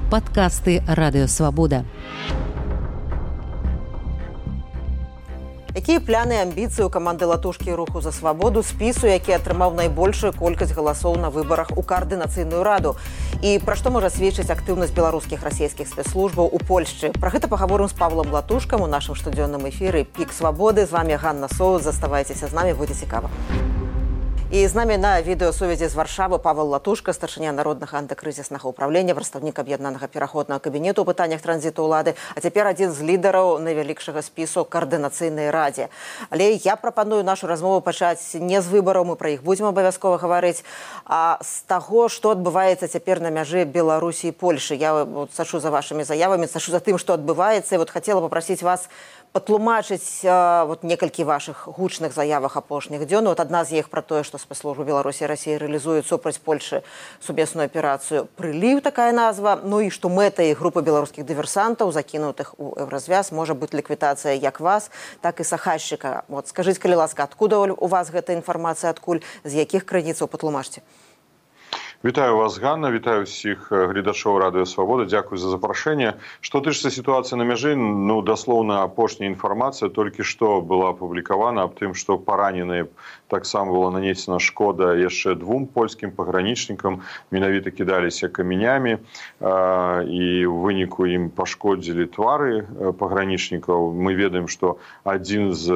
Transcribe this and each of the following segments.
Падкасты Радыёвабода. Якія пляны і амбіцыі ў каманды Латушкі і Руху за свабоду, спісу, які атрымаў найбольшую колькасць галасоў на выбарах у Каардынацыйную раду? І пра што можа сведчыць актыўнасць беларускіх расійскіх спецслужбаў у Польшчы? Пра гэта пагаворым з Павлом Латушкам у нашым штодзённым эфіры «Пік свабоды». З вами Ганна Соус. Заставайцеся з намі, будзе цікава. І з намі на відэасувязі з Варшавы Павел Латушка, старшыня Народнага антыкрызіснага ўправлення, прадстаўнік аб'яднанага пераходнага кабінету ў пытаннях транзіту ўлады, а цяпер адзін з лідараў найвялікшага спісу Каардынацыйнай радзе. Але я прапаную нашу размову пачаць не з выбараў, мы пра іх будзем абавязкова гаварыць, а з таго, што адбываецца цяпер на мяжы Беларусі і Польшы. Я сачу за вашымі заявамі, сачу за тым, што адбываецца, і хацела папрасіць вас патлумачыць некалькі вашых гучных заявах апошніх дзён. Адна з іх пра тое, што спецслужбы Беларусі і Расіі рэалізуюць супраць Польшы сумесную аперацыю «Прыліў», такая назва. Ну і што мэтай групы беларускіх дыверсантаў, закінутых у Еўразвяз, можа быць ліквідацыя як вас, так і Сахальшчыка. Скажыце, калі ласка, адкуда у вас гэта інфармацыя, адкуль, з якіх крыніцаў, патлумачце. Вітаю вас, Ганна, вітаю всіх глядачоў Радыё Свабода, дзякуй за запрашэнне. Што тычыцца сітуацыі на мяжы, даслоўна апошняя інфармацыя толькі што была апублікавана аб тым, што параненыя таксама была нанесена шкода яшчэ двум польскім пагранічнікам, менавіта кідаліся камянямі, і ў выніку ім пашкодзілі твары пагранічнікаў. Мы ведаем, што адзін з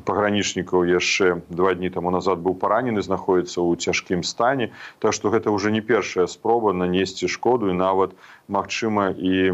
пагранічнікаў яшчэ 2 дні таму назад быў паранены, знаходзіцца ў цяжкім стане. Так што гэта ўжо не першая спроба нанесці шкоду і нават, магчыма, і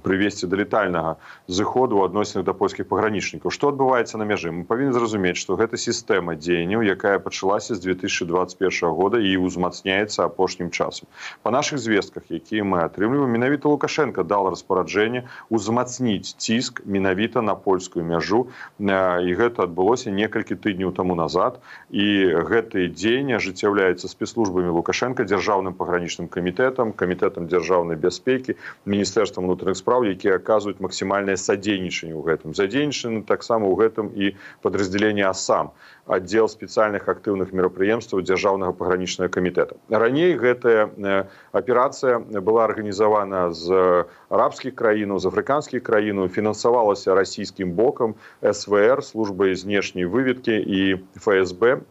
прывесці да летальнага зыходу ў адносінах да польскіх пагранічнікаў. Што адбываецца на мяжы? Мы павінны зразумець, што гэта сістэма дзеянняў, якая пачалася з 2021 года і ўзмацняецца апошнім часам. Па нашых звестках, якія мы атрымліваем, менавіта Лукашенко дал распараджэнне ўзмацніць ціск менавіта на польскую мяжу, і гэта адбылося некалькі тыдняў таму назад, і гэтыя дзеянні ажыццяўляюцца спецслужбамі Лукашенко, дзяржаўным пагранічным камітэтам, камітэтам дзяржаўнай бяспекі, міністэрствам унутраных спраў, якія аказваюць максімальнае садзейнічанне ў гэтым. Задзейнічаны таксама ў гэтым і падраздзяленне АСАМ, аддзел спецыяльных актыўных мерапрыемстваў дзяржаўнага пагранічнага камітэта. Раней гэтая аперацыя была арганізавана з арабскіх краінаў, з афрыканскіх краінаў, фінансавалася расійскім бокам, СВР, службай знешняй выведкі і ФСБ,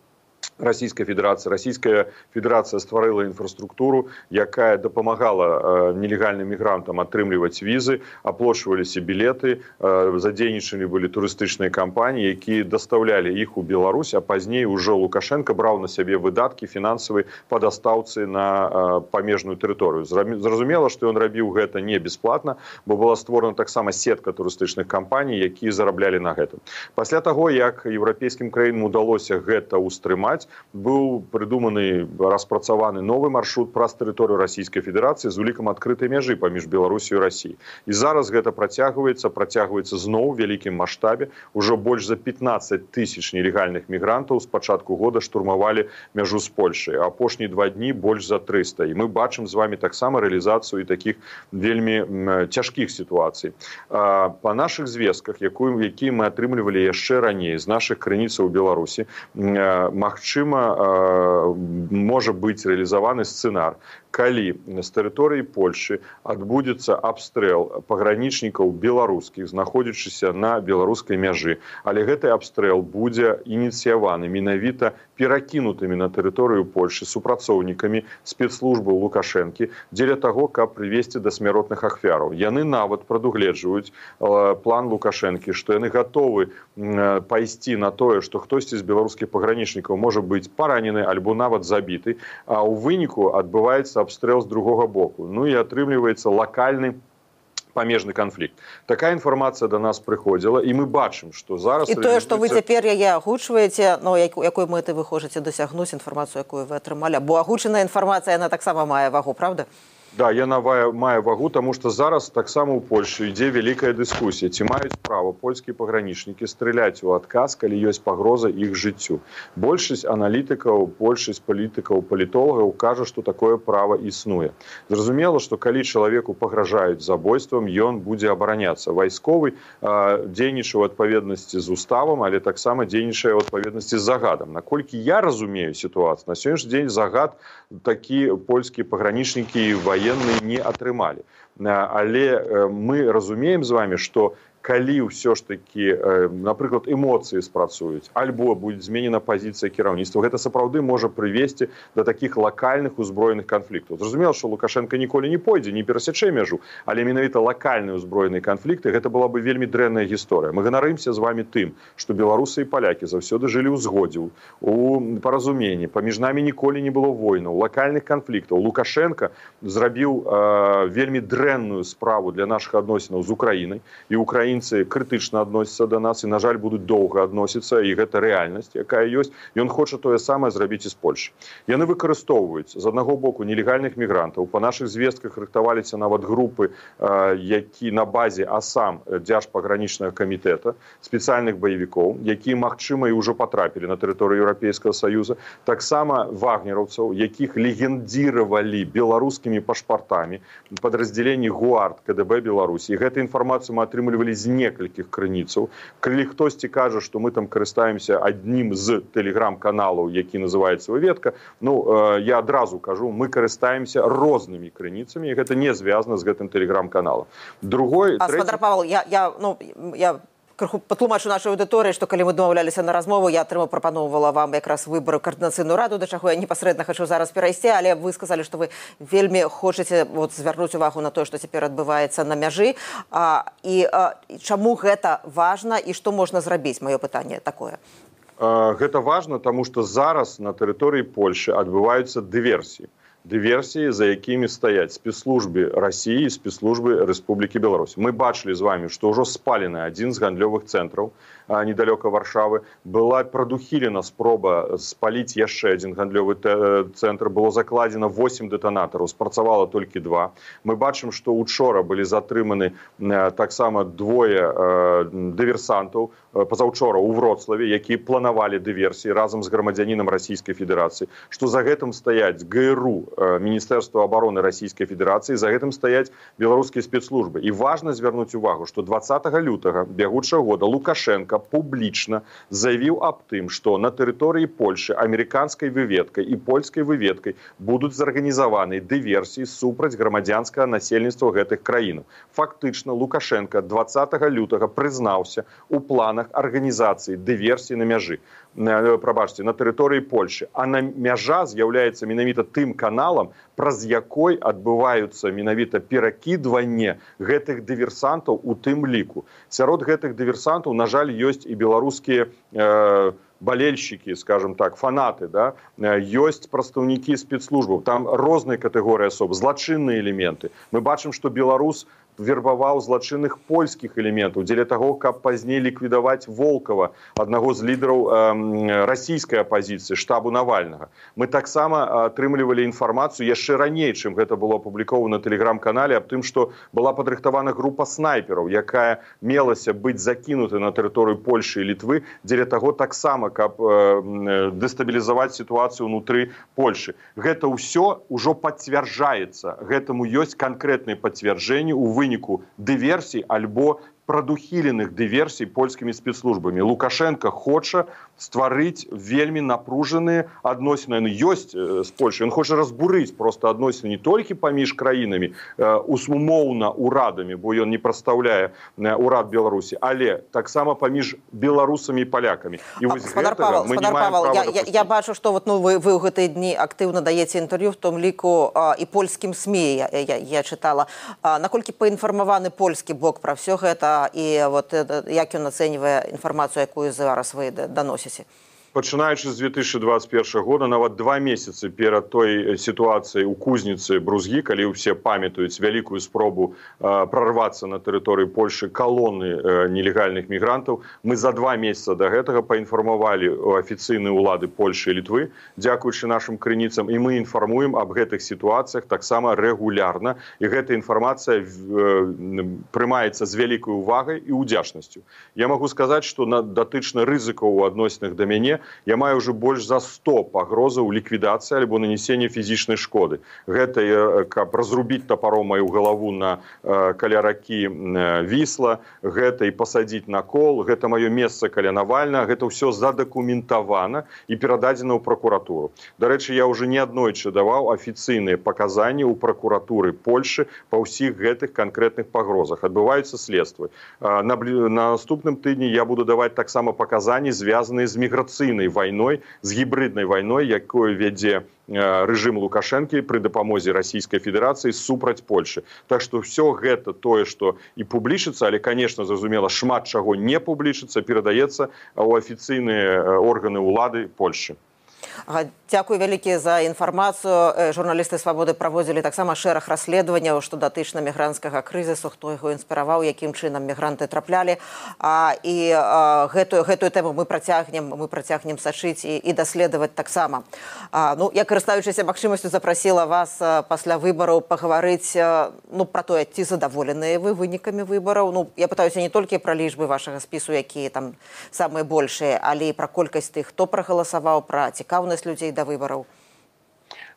Расійская Федэрацыя. Расійская Федэрацыя стварыла інфраструктуру, якая дапамагала нелегальным мігрантам атрымліваць візы, аплачваліся білеты, задзейнічаны былі турыстычныя кампаніі, якія дастаўлялі іх у Беларусь, а пазней ужо Лукашенко браў на сябе выдаткі фінансавыя па дастаўцы на памежную тэрыторыю. Зразумела, што ён рабіў гэта не бясплатна, бо была створана таксама сетка турыстычных кампаній, якія зараблялі на гэтым. Пасля таго, як еўрапейскім краінам удалося гэта ўстрымаць, быў прыдуманы, распрацаваны новы маршрут праз тэрыторыю Расійскай Федэрацыі з улікам адкрытай мяжы паміж Беларусю і Расіяй. І зараз гэта працягваецца зноў у вялікім маштабе. Ужо больш за 15 тысяч нелегальных мігрантаў з пачатку года штурмавалі мяжу з Польшай. Апошнія 2 дні больш за 300. І мы бачым з вами таксама рэалізацыю і такіх вельмі цяжкіх сітуацый. Па нашых звестках, якія мы атрымлівалі яшчэ раней з нашых крыніцаў у Беларусі, магчыма, можа быць рэалізаваны сцэнар, калі з тэрыторыі Польшы адбудзецца абстрэл пагранічнікаў беларускіх, знаходзячыся на беларускай мяжы, але гэты абстрэл будзе ініцыяваны менавіта перакінутымі на тэрыторыю Польшы супрацоўнікамі спецслужбаў Лукашэнкі дзеля таго, каб прывесці да смяротных ахвяраў. Яны нават прадугледжваюць план Лукашэнкі, што яны гатовы пайсці на тое, што хтосьці з беларускіх пагранічнікаў можа быць паранены альбо нават забіты, а ў выніку адбываецца абстрэл з другога боку. Ну і атрымліваецца лакальны памежны канфлікт. Такая інфармацыя да нас прыходзіла, і мы бачым, што зараз... І тое, што вы цяпер яе агучваеце, якой мэты вы хочаце дасягнуць, інфармацыю, якую вы атрымалі, бо агучаная інфармацыя, яна таксама мае вагу, правда? Да, яна мае вагу, таму што зараз таксама ў Польшы ідзе вялікая дыскусія, ці маюць права польскія пагранічнікі страляць у адказ, калі ёсць пагроза іх жыццю. Большасць аналітыкаў, большасць палітыкаў, палітолагаў кажа, што такое права існуе. Зразумела, што калі чалавеку пагражаюць забойствам, ён будзе абараняцца. Вайсковы дзейнічае ў адпаведнасці з уставам, але таксама дзейнічае ў адпаведнасці з загадам. Наколькі я разумею сітуацыю, на сённяшні дзень загад такі польскія пагранічнікі і военные не атрымалі. Але мы разумеем з вами, что калі ўсё ж таки, напрыклад, эмоцыі спрацуюць, альбо будзе зменена пазіцыя кіраўніцтва, гэта сапраўды можа прывесці да такіх лакальных узброеных канфліктаў. Зразумела, што Лукашенко ніколі не пойдзе, не перасячэ мяжу, але менавіта лакальныя ўзброеныя канфлікты, гэта была бы вельмі дрэнная гісторыя. Мы ганарымся з вами тым, што беларусы і палякі заўсёды жылі ў згодзе, у паразуменні, паміж намі ніколі не было войнаў, лакальных канфліктаў. Лукашенко зрабіў вельмі дрэнную справу для нашых адносінаў з Украінай, і Украінцы крытычна адносяцца да нас і, на жаль, будуць доўга адносіцца, і гэта рэальнасць, якая ёсць. Ён хоча тое самае зрабіць і з Польшай. Яны выкарыстоўваюць з аднаго боку нелегальных мігрантаў. Па нашых звестках рыхтаваліся нават групы, які на базе АСАМ, Дзяржпагранічнага камітэта, спецыяльных баевікоў, якія, магчыма, і ўжо патрапілі на тэрыторыю Еўрапейскага Саюза. Таксама вагнераўцаў, якіх легендзіравалі беларускімі пашпартамі падраздзяленні ГУАРД КДБ Беларусі. І гэту інфармацыю мы атрымлівалі з некалькіх крыніцаў. Калі хтосьці кажа, што мы там карыстаемся аднім з тэлеграм-каналаў, які называецца «Выведка», я адразу кажу, мы карыстаемся рознымі крыніцамі, і гэта не звязана з гэтым тэлеграм-каналам. Другой, Спадар Павел, я крыху патлумачу нашай аўдыторыі, што калі мы дамаўляліся на размову, я прапаноўвала вам якраз выбары каардынацыйную раду, да чаго я непасрэдна хачу зараз перайсці, але вы сказалі, што вы вельмі хочаце звярнуць увагу на тое, што цяпер адбываецца на мяжы. І чаму гэта важна і што можна зрабіць? Маё пытанне такое. Гэта важна, таму што зараз на тэрыторыі Польшы адбываюцца дыверсіі. Дыверсіі, за якімі стаяць спецслужбы Расіі і спецслужбы Рэспублікі Беларусь. Мы бачылі з вами, што ўжо спалены адзін з гандлёвых цэнтраў недалёка Варшавы. Была прадухілена спроба спаліць яшчэ адзін гандлёвы цэнтр. Было закладзена 8 дэтанатараў, спрацавала толькі 2. Мы бачым, што учора былі затрыманы таксама двое дыверсантаў, пазаўчора ў Вроцлаве, якія планавалі дыверсіі разам з грамадзянінам Расійскай Федэрацыі, што за гэтым стаяць ГРУ, Міністэрства обороны Расійскай Федэрацыі, за гэтым стаяць беларускія спецслужбы. І важна звярнуць увагу, што 20 лютага бягучага года Лукашенко публічна заявіў аб тым, што на тэрыторыі Польшы амерыканскай выведкай і польскай выведкай будуць зарганізаваны дыверсіі супраць грамадзянскага насельніцтва гэтых краінаў. Фактычна Лукашенко 20 лютага прызнаўся ў планах арганізацыі дыверсіі на мяжы. Прабачце, на тэрыторыі Польшы. А на мяжа з'яўляецца менавіта тым каналам, праз якой адбываюцца менавіта перакідванне гэтых дыверсантаў у тым ліку. Сярод гэтых дыверсантаў, на жаль, ёсць і беларускія болельщики, скажем так, фанаты, да? Ёсць прадстаўнікі спецслужбаў, там розныя катэгорыі асоб, злачынныя элементы. Мы бачым, што беларус вербаваў злачынных польскіх элементаў дзеля таго, каб пазней ліквідаваць Волкова, аднаго з лідараў расійскай апазіцыі, штабу Навальнага. Мы таксама атрымлівалі інфармацыю яшчэ раней, чым гэта было апублікавана на тэлеграм-канале, аб тым, што была падрыхтавана група снайпераў, якая мелася быць закінутай на тэрыторыю Польшы і Літвы, дзеля таго таксама, каб дэстабілізаваць сітуацыю ўнутры Польшы. Гэта ўсё ўжо пацвярджаецца. Гэтаму ёсць канкрэтныя пацвярджэнні ў выніку дыверсій альбо прадухіленых дыверсій польскімі спецслужбамі. Лукашенко хоча стварыць вельмі напружаныя адносіны. Яны ёсць з Польшай. Ён хоча разбурыць проста адносіны не толькі паміж краінамі, умоўна урадамі, бо ён не прадстаўляе урад Беларусі, але таксама паміж беларусамі і палякамі. І вось гэтага мы не маем права дапусціць. Я бачу, што вы ў гэтыя дні актыўна даеце інтэрв'ю, в том ліку і польскім СМІ, я чытала. Наколькі паінфармаваны польскі бок пра ўсё гэта, і як ён ацэньвае інфармацыю, якую зараз вы даносіце? Пачынаючы з 2021 года, нават 2 месяцы перад той сітуацыяй у Кузніцы Брузгі, калі ўсе памятаюць вялікую спробу прарвацца на тэрыторыі Польшы калоны нелегальных мігрантаў, мы за 2 месяца да гэтага паінфармавалі афіцыйныя ўлады Польшы і Літвы, дзякуючы нашым крыніцам, і мы інфармуем аб гэтых сітуацыях таксама рэгулярна, і гэта інфармацыя прымаецца з вялікай увагай і ўдзячнасцю. Я магу сказаць, што датычна рызыкаў у адносінах да мяне, я маю ўжо больш за 100 пагрозаў ліквідацыі альбо нанесення фізічнай шкоды. Гэта каб разрубіць тапаром маю галаву каля ракі Вісла, гэта і пасадзіць на кол, гэта маё месца каля Навальнага, гэта ўсё задакументавана і перададзена ў пракуратуру. Дарэчы, я ўжо неаднойчы даваў афіцыйныя паказанні ў пракуратуры Польшы па ўсіх гэтых канкрэтных пагрозах. Адбываюцца следствы. На наступным тыдні я буду даваць таксама паказанні, звязаныя з міграцыйнай вайной, з гібриднай вайной, якую вядзе рэжым Лукашэнкі пры дапамозе Расійскай Федэрацыі супраць Польшы. Так што ўсё гэта тое, што і публічыцца, але, конечно, зразумела, шмат чаго не публічыцца, перадаецца ў афіцыйныя органы ўлады Польшы. Дзякуй вялікі за інфармацыю. Журналісты «Свабоды» праводзілі таксама шэраг расследаванняў, што датычна мігранцкага крызісу, хто яго інспіраваў, якім чынам мігранты траплялі. І гэтую тэму мы працягнем сачыць і даследаваць таксама. Я, карыстаючыся магчымасцю, запрасіла вас пасля выбараў пагаварыць пра тое, ці задаволеныя вы вынікамі выбараў. Я пытаюся не толькі пра лічбы вашага спісу, якія там самыя большыя, але і пра колькасць тых, хто прагаласаваў, пра цікаўнасць людзей да выбараў.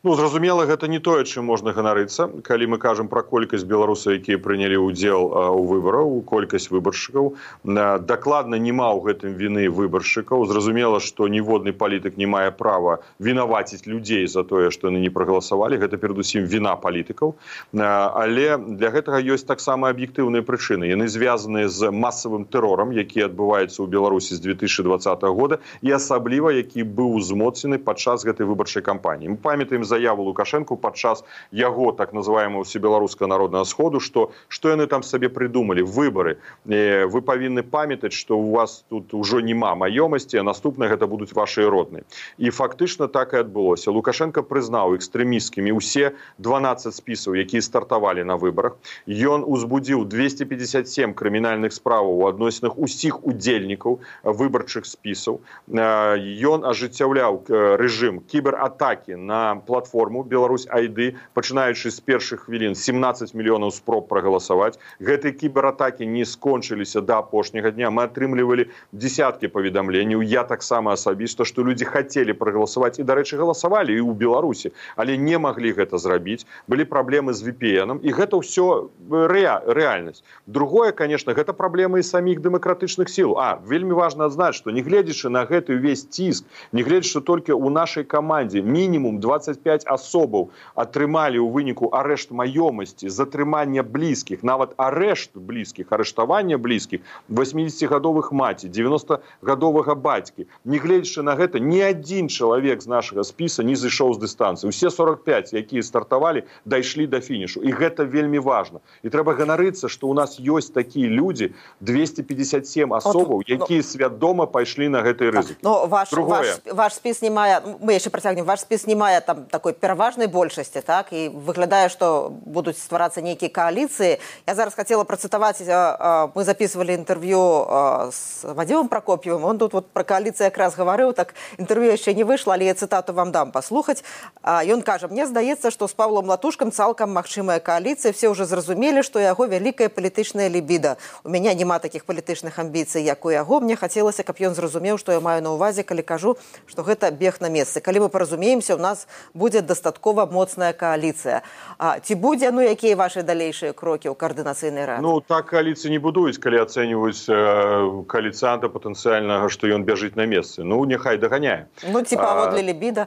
Зразумела, гэта не тое, чым можна ганарыцца. Калі мы кажам пра колькасць беларусаў, якія прынялі ўдзел у выбараў, колькасць выбаршчыкаў, дакладна няма ў гэтым віны выбаршчыкаў. Зразумела, што ніводны палітык не мае права вінаваціць людзей за тое, што яны не прагаласавалі. Гэта перадусім віна палітыкаў. Але для гэтага ёсць таксама аб'ектыўныя прычыны. Яны звязаныя з масавым тэрорам, які адбываецца ў Беларусі з 2020 года, і асабліва, які быў узмоцнены падчас гэтай выбарчай кампаніі. Мы памятаем заяву Лукашэнку падчас яго так называемого всебеларускага народнага сходу, што яны там сабе прыдумалі, выбары. Вы павінны памятаць, што у вас тут ужо няма маёмасці, а наступныя гэта будуць вашыя родныя. І фактычна так і адбылося. Лукашенко прызнаў экстрэмісцкімі ўсе 12 спісаў, якія стартавалі на выбарах. Ён узбудзіў 257 крымінальных справаў у адносінах усіх удзельнікаў выбарчых спісаў. Ён ажыццяўляў рэжым кібератакі на платформу Беларусь ID, пачынаючы з першых хвілін 17 мільёнаў спроб прагаласаваць. Гэтыя кібератакі не скончыліся да апошняга дня. Мы атрымлівалі дзесяткі паведамленняў. Я таксама асабіста, што людзі хацелі прагаласаваць і, дарэчы, галасавалі і ў Беларусі, але не маглі гэта зрабіць. Былі праблемы з VPN-ам, і гэта ўсё рэальнасць. Другое, конечно, гэта праблемы і саміх дэмакратычных сіл. Вельмі важна адзначыць, што нягледзячы на гэты ўвесь ціск, нягледзячы толькі ў нашай камандзе мінімум 25 асобаў атрымалі ў выніку арэшт маёмасці, затрымання блізкіх, нават арэшт блізкіх, арыштавання блізкіх, 80-гадовых маці, 90-гадовага бацькі. Нягледзячы на гэта, ні адзін чалавек з нашага спіса не зышоў з дыстанцыі. Усе 45, якія стартавалі, дайшлі да фінішу. І гэта вельмі важна. І трэба ганарыцца, што ў нас ёсць такія людзі, 257 асобаў, якія свядома пайшлі на гэты рызык. Ваш спіс не мае, мы яшчэ працягнем, ваш спіс не мае там такой пераважнай большасці, так? І выглядае, што будуць стварацца нейкія кааліцыі. Я зараз хацела працытаваць, мы записывалі інтэрв'ю з Вадзімам Пракоп'евым, он тут пра кааліцыю якраз гаварыў, так інтэрв'ю яшчэ не выйшла, але я цытату вам дам паслухаць. Ён кажа: «Мне здаецца, што з Павлом Латушкам цалкам магчымая кааліцыя, все ўжо зразумелі, што яго вялікая палітычная лібіда. У мяне няма такіх палітычных амбіцый, як у яго. Мне хацелася, каб ён зразумеў, што я маю на ўвазе, калі кажу, што гэта бег на месцы. Калі мы паразумеемся, у нас будзе дастаткова моцная кааліцыя». Ці будзе, якія вашы далейшыя крокі ў каардынацыйнай рады? Так кааліцыі не будуюць, калі ацэньваюць кааліцыянта патэнцыяльнага, што ён бяжыць на месцы. Няхай даганяе. Ці паводле лібіда?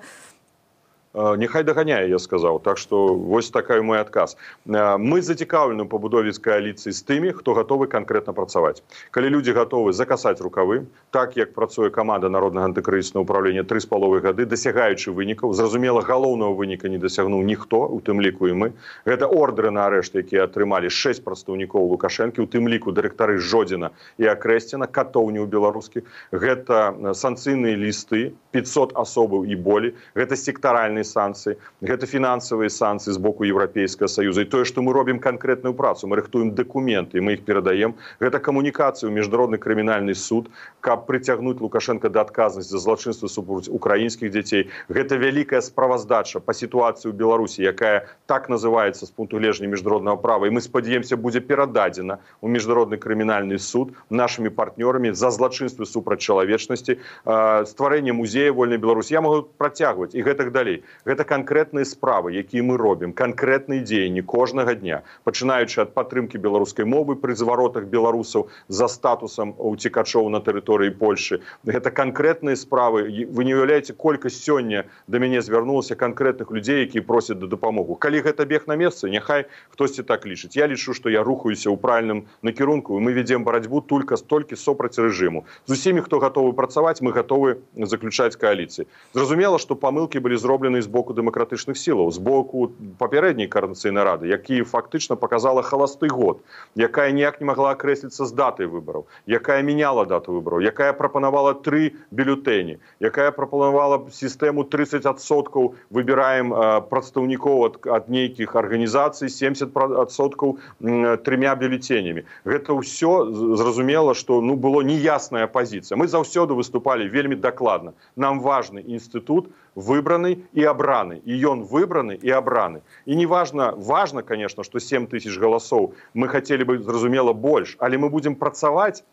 Няхай даганяе, я сказаў. Так што вось такой мой адказ. Мы зацікаўлены ў пабудове кааліцыі з тымі, хто гатовы канкрэтна працаваць. Калі людзі гатовы закасаць рукавы, так як працуе каманда Народнага антыкрызіснага ўправлення 3,5 гады, дасягаючы вынікаў, зразумела, галоўнага выніка не дасягнуў ніхто, у тым ліку і мы. Гэта ордэры на арэшт, якія атрымалі 6 прадстаўнікоў Лукашэнкі, у тым ліку дырэктары Жодзіна і Акрэсціна, катоўняў беларускіх. Гэта санкцыйныя лісты, 500 асобаў і болей. Гэта сектаральныя матэрыяльныя санкцыі, гэта фінансавыя санкцыі з боку Еўрапейскага Саюза. І тое, што мы робім канкрэтную працу, мы рыхтуем дакументы, мы іх перадаем. Гэта камунікацыя ў міжнародны крымінальны суд, каб прыцягнуць Лукашенка да адказнасці за злачынства супраць украінскіх дзяцей. Гэта вялікая справаздача па сітуацыі ў Беларусі, якая так называецца з пункту гледжання міжнароднага права. І мы спадзяемся, будзе перададзена ў міжнародны крымінальны суд нашымі партнёрамі за злачынствы супраць чалавечнасці, стварэнне музея вольнай Беларусі. Я могу працягваць і гэтак далей. Гэта канкрэтныя справы, якія мы робім, канкрэтныя дзеянні кожнага дня, пачынаючы ад падтрымкі беларускай мовы пры зваротах беларусаў за статусам уцекачоў на тэрыторыі Польшы. Гэта канкрэтныя справы. Вы не уяўляеце, колькасць сёння да мяне звярнулася канкрэтных людзей, якія просяць да дапамогу. Калі гэта бег на месцы, няхай хтосьці так лічыць. Я лічу, што я рухаюся ў правільным накірунку, і мы ведзем барацьбу толькі супраць рэжыму. З усімі, хто гатовы працаваць, мы гатовы заключаць кааліцыі. Зразумела, што памылкі былі зроблены з боку дэмакратычных сілаў, з боку папярэдняй Коордынацыйнай рады, які фактычна паказала халасты год, якая ніяк не магла акрэсліцца з датай выбараў, якая мяняла дату выбараў, якая прапанавала 3 бюлетэні, якая прапанавала сістэму 30% выбіраем прадстаўнікоў ад нейкіх арганізацый, 70% 3 бюлетенямі. Гэта ўсё зразумела, што было неясная пазіцыя. Мы заўсёды выступалі вельмі дакладна. Нам важны інстытут выбраны і абраны. І ён выбраны і абраны. І не важна, конечно, што 7 тысяч галасоў. Мы хацелі бы, зразумела, больш, але мы будзем працаваць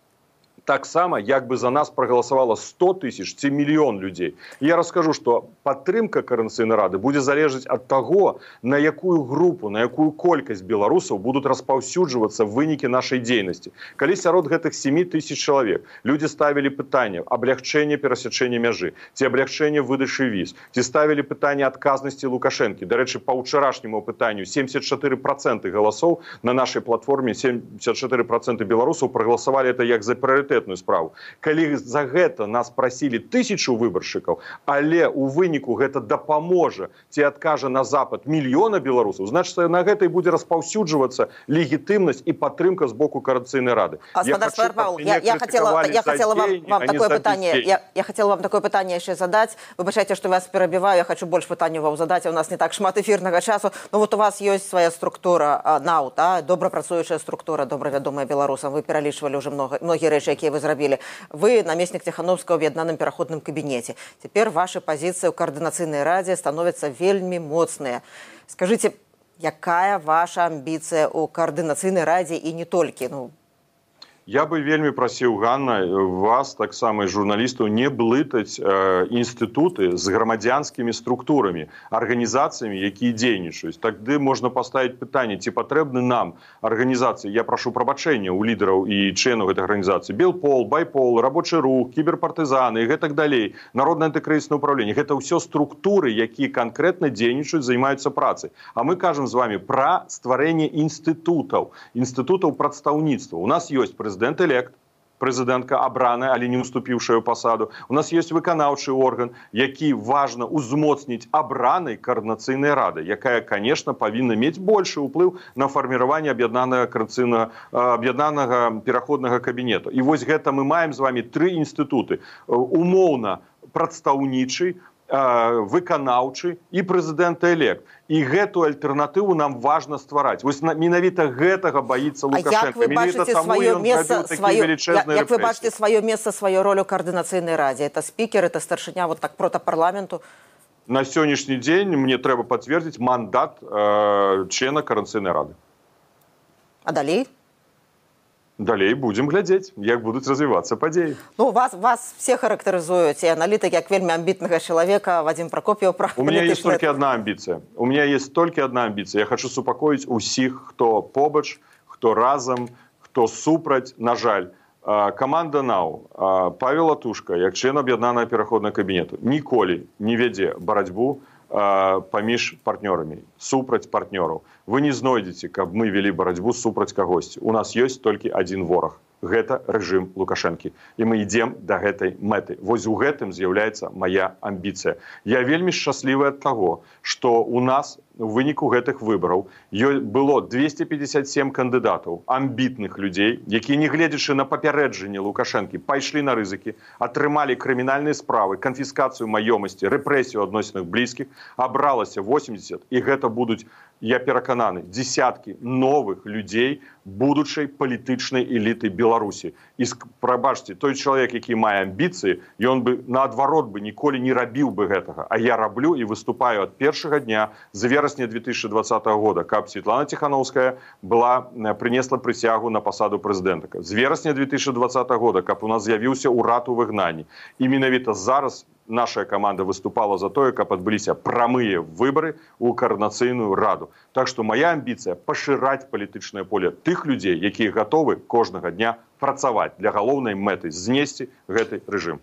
таксама, як бы за нас прагаласавала 100 тысяч ці мільён людзей. І я раскажу, што падтрымка Коордынацыйнай рады будзе залежаць ад таго, на якую групу, на якую колькасць беларусаў будуць распаўсюджвацца вынікі нашай дзейнасці. Калі сярод гэтых 7 тысяч чалавек людзі ставілі пытанне аблягчэння перасячэння мяжы, ці аблягчэння выдачы віз, ці ставілі пытанне адказнасці Лукашэнкі. Дарэчы, па ўчарашняму пытанню 74% галасоў на нашай платформе, 74% беларусаў прагаласавалі это як за прыярытэтную справу. Калі за гэта нас прасілі 1000 выбаршчыкаў, але ў выніку гэта дапаможа ці адкажа на запад мільёна беларусаў, значыць, на гэта і будзе распаўсюджвацца легітымнасць і падтрымка з боку Коордынацыйнай рады. Я хотела вам такое пытанне яшчэ задаць. Выбачайце, што вас перабіваю, я хочу больш пытанняў вам задаць, у нас не так шмат эфірнага часу. Ну вот у вас ёсць свая структура НАУ, добра працуючая структура, добра вядомая беларусам. Вы пералічвалі ўжо многія рэчы, якія вы зрабілі. Вы намеснік Ціхановскага ў аб'яднаным пераходным кабінеце. Цяпер вашы пазіцыі ў Коордынацыйнай радзе становяцца вельмі моцныя. Скажыце, якая ваша амбіцыя ў Коордынацыйнай радзе і не толькі? Я бы вельмі прасіў, Ганна, вас, таксама і журналістаў, не блытаць інстытуты з грамадзянскімі структурамі, арганізацыямі, якія дзейнічаюць. Тады можна паставіць пытанне, ці патрэбны нам арганізацыі, я прашу прабачэння ў лідараў і членаў гэтай арганізацыі, Белпол, Байпол, Рабочы рух, кіберпартызаны і гэтак далей, Народнае антыкрызіснае ўправленне. Гэта ўсё структуры, якія канкрэтна дзейнічаюць, займаюцца працай. А мы кажам з вами пра стварэнне інстытутаў прадстаўніцтва. У нас ёсць прэзідэнт-элект, прэзідэнтка абраная, але не уступіўшая ў пасаду. У нас ёсць выканаўчы орган, які важна ўзмоцніць абранай Коордынацыйнай рады, якая, конечно, павінна мець большы ўплыў на фарміраванне аб'яднанага пераходнага кабінету. І вось гэта мы маем з вами 3 інстытуты. Умоўна прадстаўнічы, выканаўчы і прэзідэнт-элект. І гэту альтэрнатыву нам важна ствараць. Вось менавіта гэтага баіцца Лукашенко. Як вы бачыце сваё месца, сваю ролю ў Коордынацыйнай радзе? Это спікер, это старшыня вот так прота парламенту? На сённяшні дзень мне трэба пацвердзіць мандат члена Коордынацыйнай рады. А далей? Далей будем глядзець, як будуць развівацца падзеі. Вас все характарызуюць, і аналітык як вельмі амбітнага чалавека, Вадзім Прокоп'еў. У меня есть только одна амбіцыя. Я хочу супакоіць усіх, хто побач, хто разам, хто супраць. На жаль, каманда НАУ, Павел Латушка, як член аб'яднанага пераходнага кабінету, ніколі не вядзе барацьбу паміж партнёрамі, супраць партнёраў. Вы не знойдзеце, каб мы вели барацьбу супраць кагосьці. У нас ёсць толькі адзін вораг. гэта рэжым Лукашэнкі. І мы ідзем да гэтай мэты. Вось у гэтым з'яўляецца мая амбіцыя. Я вельмі шчаслівы ад таго, што у нас у выніку гэтых выбараў было 257 кандыдатаў, амбітных людзей, якія, не гледзячы на папярэджанне Лукашэнкі, пайшлі на рызыкі, атрымалі крымінальныя справы, канфіскацыю маёмасці, рэпрэсію адносінах блізкіх, абралася 80, і гэта будуць, я перакананы, дзесяткі новых людзей будучай палітычнай эліты Беларусі. І, прабачце, той чалавек, які мае амбіцыі, ён бы, наадварот, бы ніколі не рабіў бы гэтага. А я раблю і выступаю ад першага дня з верасня 2020 года, каб Светлана Тихановская принесла прысягу на пасаду прэзідэнта. З верасня 2020 года, каб у нас з'явіўся ўрад у выгнанні. І менавіта зараз наша каманда выступала за тое, каб адбыліся прамыя выбары ў каардынацыйную раду. Так што моя амбіцыя пашыраць палітычнае поле тых людзей, якія гатовы кожнага дня працаваць для галоўнай мэты знесці гэты рэжым.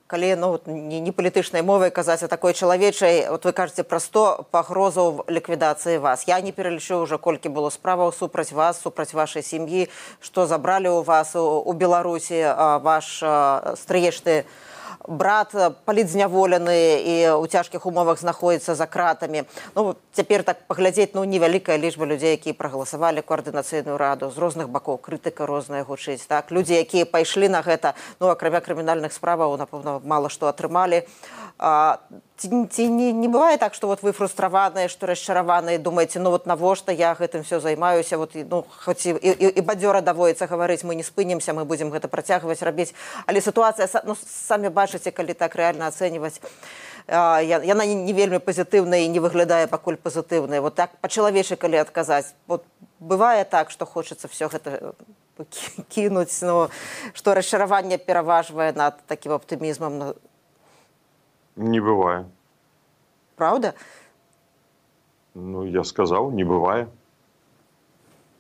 Калі не палітычнай мовай казаць, а такой чалавечай, вы кажаце пра 100 пагрозаў ліквідацыі вас. Я не пералічу ўжо, колькі было справаў супраць вас, супраць вашай сям'і, што забралі ў вас у Беларусі ваш стрыечны брат палітзняволены і ў цяжкіх умовах знаходзіцца за кратамі. Цяпер так паглядзець, невялікая лічба людзей, якія прагаласавалі каардынацыйную раду, з розных бакоў, крытыка розная гучыць. Так? Людзі, якія пайшлі на гэта, акрамя крымінальных справаў, напэўна, мала што атрымалі. Ці не бывае так, што вы фрустраваныя, што расчараваныя, думаеце, навошта я гэтым все займаюся, хоць і бадзёра даводіцца гаварыць, мы не спынімся, мы будзем гэта працягваць рабіць. Але сітуацыя, самі бачыце, калі так рэальна ацэньваць, яна не вельмі пазітыўная і не выглядае пакуль пазітыўнай. Так па-чалавечы, калі адказаць, бывае так, што хочацца все гэта кінуць, што расчараванне пераважвае над такім аптымізмам. Не бывае. Правда? Я сказаў, не бывае.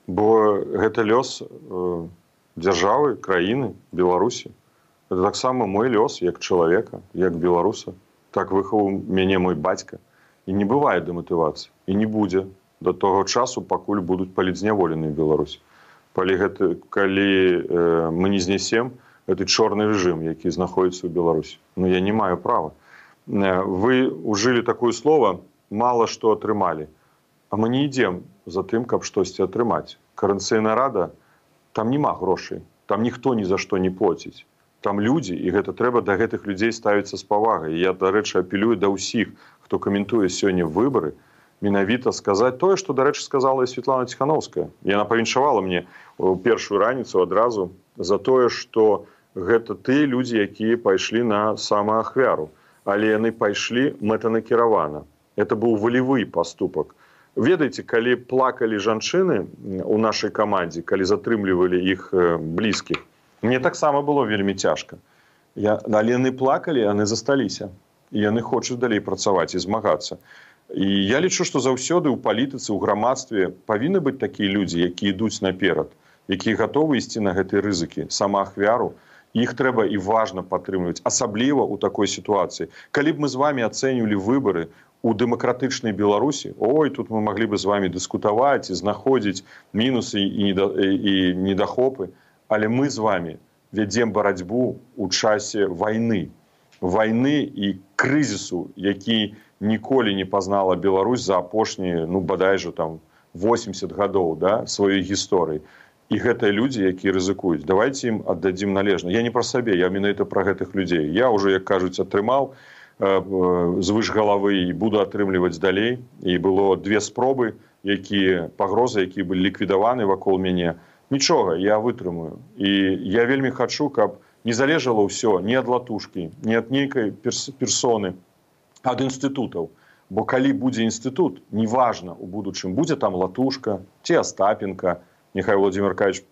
Бо гэта лёс дзяржавы, краіны, Беларусі. Гэта таксама мой лёс, як чалавека, як беларуса. Так выхаваў мяне мой бацька. І не бывае дэматывацыі. І не будзе да таго часу, пакуль будуць палітзняволеныя ў Беларусі. Калі мы не знясем гэты чорны рэжым, які знаходзіцца ў Беларусі. Я не маю права. Вы ужылі такое слово, мало што атрымалі. А мы не ідзем за тым, каб штосьці атрымаць. Каардынацыйная рада, там няма грошай, там ніхто ні за што не плоціць. Там людзі, і гэта трэба да гэтых людзей ставіцца з павагай. Я, дарэчы, апелюю да ўсіх, хто каментуе сёння выбары, менавіта сказаць тое, што, дарэчы, сказала і Светлана Тихановская. Яна павіншавала мне ў першую раніцу адразу за тое, што гэта тыя людзі, якія пайшлі на самаахвяру. Але яны пайшлі мэтанакіравана. Это быў волевы поступок. Ведаеце, калі плакалі жанчыны у нашай камандзе, калі затрымлівалі іх блізкіх, мне таксама было вельмі цяжка. Але яны плакалі, яны засталіся. І яны хочуць далей працаваць і змагацца. І я лічу, што заўсёды ў палітыцы, ў грамадстве павінны быць такія людзі, якія ідуць наперад, якія гатовы ісці на гэтыя рызыкі, самаахвяру. Іх трэба і важна падтрымліваць, асабліва ў такой сітуацыі. Калі б мы з вамі ацэньвалі выбары у дэмакратычнай Беларусі, тут мы маглі бы з вамі дыскутаваць і знаходзіць мінусы і недахопы, але мы з вамі вядзем барацьбу ў часе вайны. Вайны і крызісу, які ніколі не пазнала Беларусь за апошнія, бадай жа, 80 гадоў сваёй гісторыі. І гэтыя людзі, якія рызыкуюць, давайце ім аддадзім належна. Я не пра сабе, я менавіта пра гэтых людзей. Я ўжо, як кажуць, атрымаў звыш галавы і буду атрымліваць далей. І было 2 спробы, пагрозы, якія былі ліквідаваны вакол мяне. Нічога, я вытрымаю. І я вельмі хачу, каб не залежала ўсё ні ад латушкі, ні ад нейкай персоны, ад інстытутаў. Бо калі будзе інстытут, неважна у будучым, будзе там латушка ці Астапенка, Нехай Владимир Аркадьевич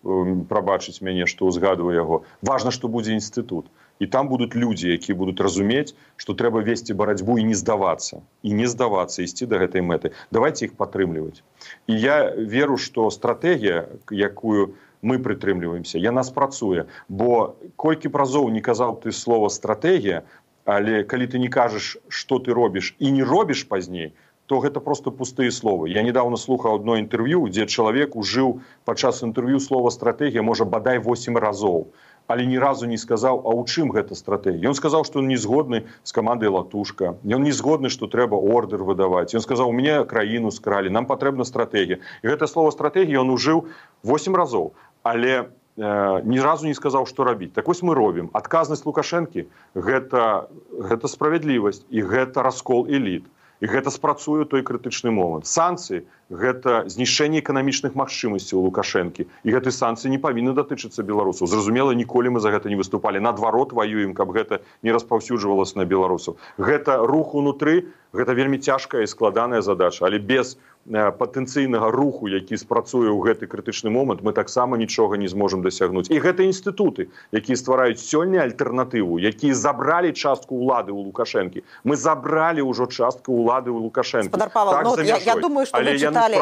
прабачыць мяне, што ўзгадваю яго. Важна, што будзе інстытут. І там будуць людзі, якія будуць разумець, што трэба весці барацьбу і не здавацца. І не здавацца, ісці да гэтай мэты. Давайце іх падтрымліваць. І я веру, што стратэгія, якую мы прытрымліваемся, яна спрацуе. Бо колькі б разоў не казаў ты слова «стратэгія», але калі ты не кажаш, што ты робіш і не робіш пазней, то гэта просто пустыя словы. Я недавно слухаў одно інтэрв'ю, дзе чалавек ужыў падчас інтэрв'ю слова стратэгія, можа, бадай 8 разоў. Але ні разу не сказаў, а ў чым гэта стратэгія. Ён сказаў, што ён не згодны з камандай «Латушка». Ён не згодны, што трэба ордэр выдаваць. Ён сказаў, у мяне краіну скралі, нам патрэбна стратэгія. І гэта слово стратэгія ён ужыў 8 разоў. Але ні разу не сказаў, што рабіць. Так вось мы робім. Адказнасць Лукашэнкі – гэта справядлівасць і гэта раскол эліт. І гэта спрацуе той крытычны момант. Санкцыі – гэта знішчэнне эканамічных магчымасцяў Лукашэнкі. І гэты санкцыі не павінны датычыцца беларусаў. Зразумела, ніколі мы за гэта не выступалі. Наадварот, ваюем, каб гэта не распаўсюджвалася на беларусаў. Гэта рух унутры, гэта вельмі цяжкая і складаная задача. Але без патэнцыйнага руху, які спрацуе ў гэты крытычны момант, мы таксама нічога не зможам дасягнуць. І гэта інстытуты, якія ствараюць сёння альтэрнатыву, якія забралі частку ўлады ў Лукашэнкі. Мы забралі ўжо частку ўлады ў Лукашэнкі. Спадар Павел, так, я думаю, што вы чыталі,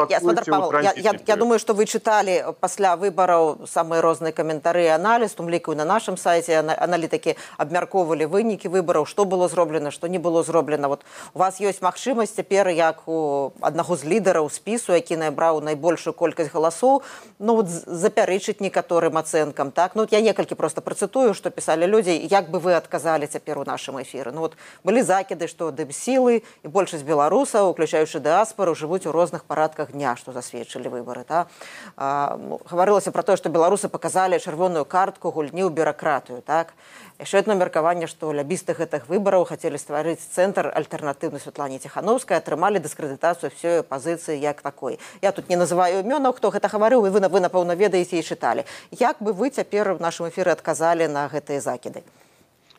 я думаю, што вы чыталі пасля выбараў самыя розныя каментары і аналіз, у тым ліку на нашым сайце аналітыкі абмяркоўвалі вынікі выбараў, што было зроблена, што не было зроблена. Вот у вас ёсць магчымасць цяпер, як у аднаго з лідараў спісу, які набраў найбольшую колькасць галасоў, запярэчыць некаторым ацэнкам. Так? Я некалькі проста працытую, што пісалі людзі, як бы вы адказалі цяпер у нашым эфіры. Былі закіды, што дэбсілы і большасць беларусаў, уключаючы дыаспару, жывуць у розных парадках дня, што засведчылі выбары. Гаварылася пра тое, што беларусы паказалі чырвоную картку гульні ў бюракратыю. Так? Яшчэ одно меркаванне, што лябісты гэтых выбараў хацелі стварыць цэнтр альтэрнатыўны Святлане Ціханаўскай, атрымалі дыскрэдытацыю ўсёй апазіцыі як такой. Я тут не называю імёнаў, хто гэта гаварыў, і вы напэўна, ведаеце і чыталі. Як бы вы цяпер у нашым эфіры адказалі на гэтыя закіды?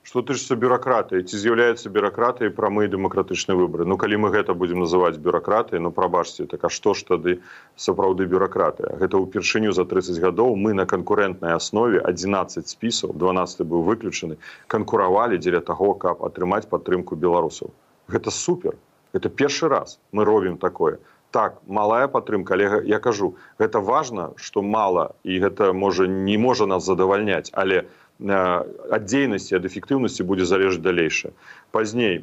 Што тычыцца бюракратыі, ці з'яўляецца бюракратыяй прамыя дэмакратычныя выбары. Калі мы гэта будзем называць бюракратыяй, прабачце, так а што ж тады сапраўды бюракратыя? Гэта ўпершыню за 30 гадоў мы на канкурэнтнай аснове 11 спісаў, 12 быў выключаны, канкуравалі дзеля таго, каб атрымаць падтрымку беларусаў. Гэта супер. Гэта першы раз мы робім такое. Так, малая падтрымка, але я кажу, гэта важна, што мала, і гэта не можа нас задавальняць, але ад дзейнасці, ад эфектыўнасці будзе залежаць далейшае. Пазней,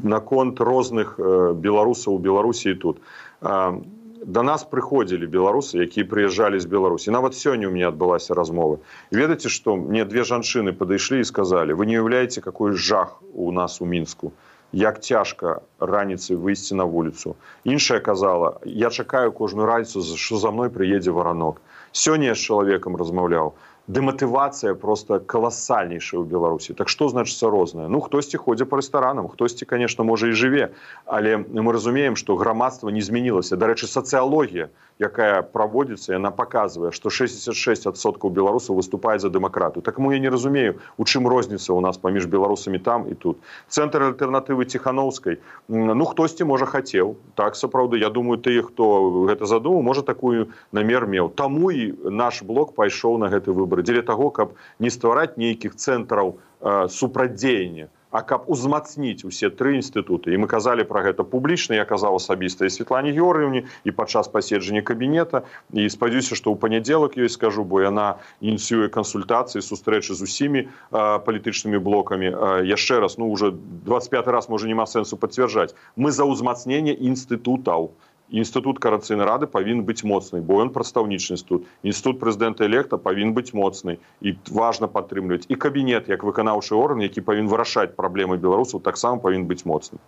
наконт розных беларусаў у Беларусі і тут. Да нас прыходзілі беларусы, якія прыязджалі з Беларусі. Нават сёння у мяне адбылася размова. Ведаеце, што мне 2 жанчыны падышлі і сказалі, вы не уяўляеце, какой жах у нас у Мінску. Як цяжка раніцай выйсці на вуліцу. Іншая казала, я чакаю кожную раніцу, што за мной прыедзе варанок. Сёння я з чалавекам размаўляў. Дэматывацыя просто каласальнейшая ў Беларусі. Так што значыцца рознае? Хтосьці ходзе па рэстаранам, хтосьці, конечно, можа і жыве. Але мы разумеем, што грамадства не змянілася. Дарэчы, сацыялогія, якая праводзіцца, яна паказвае, што 66% беларусаў выступаюць за дэмакратыю. Так я не разумею, у чым розніца ў нас паміж беларусамі там і тут. Цэнтр альтэрнатывы Ціханаўскай, хтосьці, можа, хацеў. Так, сапраўды, я думаю, тыя, хто гэта задумаў, можа, такую намер меў. Таму і наш блок пайшоў на гэты выбар. Дзеля таго, каб не ствараць нейкіх цэнтраў супрацьдзеяння, а каб узмацніць усе 3 інстытуты. І мы казалі пра гэта публічна, я казаў асабіста і Святлане Георгіевне, і падчас паседжання кабінета. І спадзяюся, што ў панядзелак ёй скажу, бо яна ініцыюе кансультацыі, сустрэчы з усімі палітычнымі блокамі. Яшчэ раз, уже 25 раз, можа, няма сэнсу пацвярджаць. Мы за ўзмацненне інстытутаў. Інстытут карацыйнай рады павінен быць моцны, бо ён прадстаўнічы інстытут. Інстытут прэзідэнта-электа павінен быць моцны і важна падтрымліваць. І кабінет, як выканаўчы орган, які павінен вырашаць праблемы беларусаў, таксама павінен быць моцны.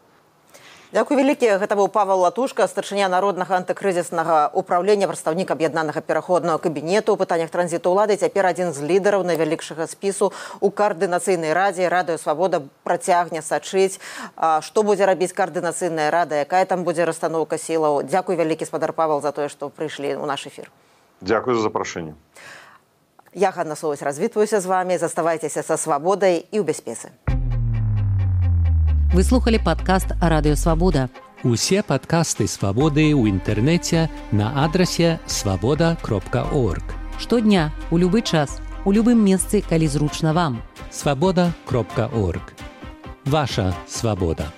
Дзякуй вялікі. Гэта быў Павел Латушка, старшыня народнага антыкрызіснага ўправлення, прадстаўнік аб'яднанага пераходнага кабінету ў пытаннях транзіту ўлады, цяпер адзін з лідараў найвялікшага спісу ў каардынацыйнай радзе. Радыё Свабода працягне сачыць, што будзе рабіць каардынацыйная рада, якая там будзе расстаноўка сілаў. Дзякуй вялікі, спадар Павел, за тое, што прыйшлі ў наш эфір. Дзякуй за запрашэнне. Я, Ганна Соваць, развітваюся з вамі. Заставайцеся са свабодай і ў бяспецы. Вы слухали падкаст «Радыё Свабода». Усе падкасты «Свабоды» ў інтэрнэце на адрасе свабода.орг. Штодня, у любы час, у любым месцы, калі зручна вам. Свабода.орг. Ваша свабода.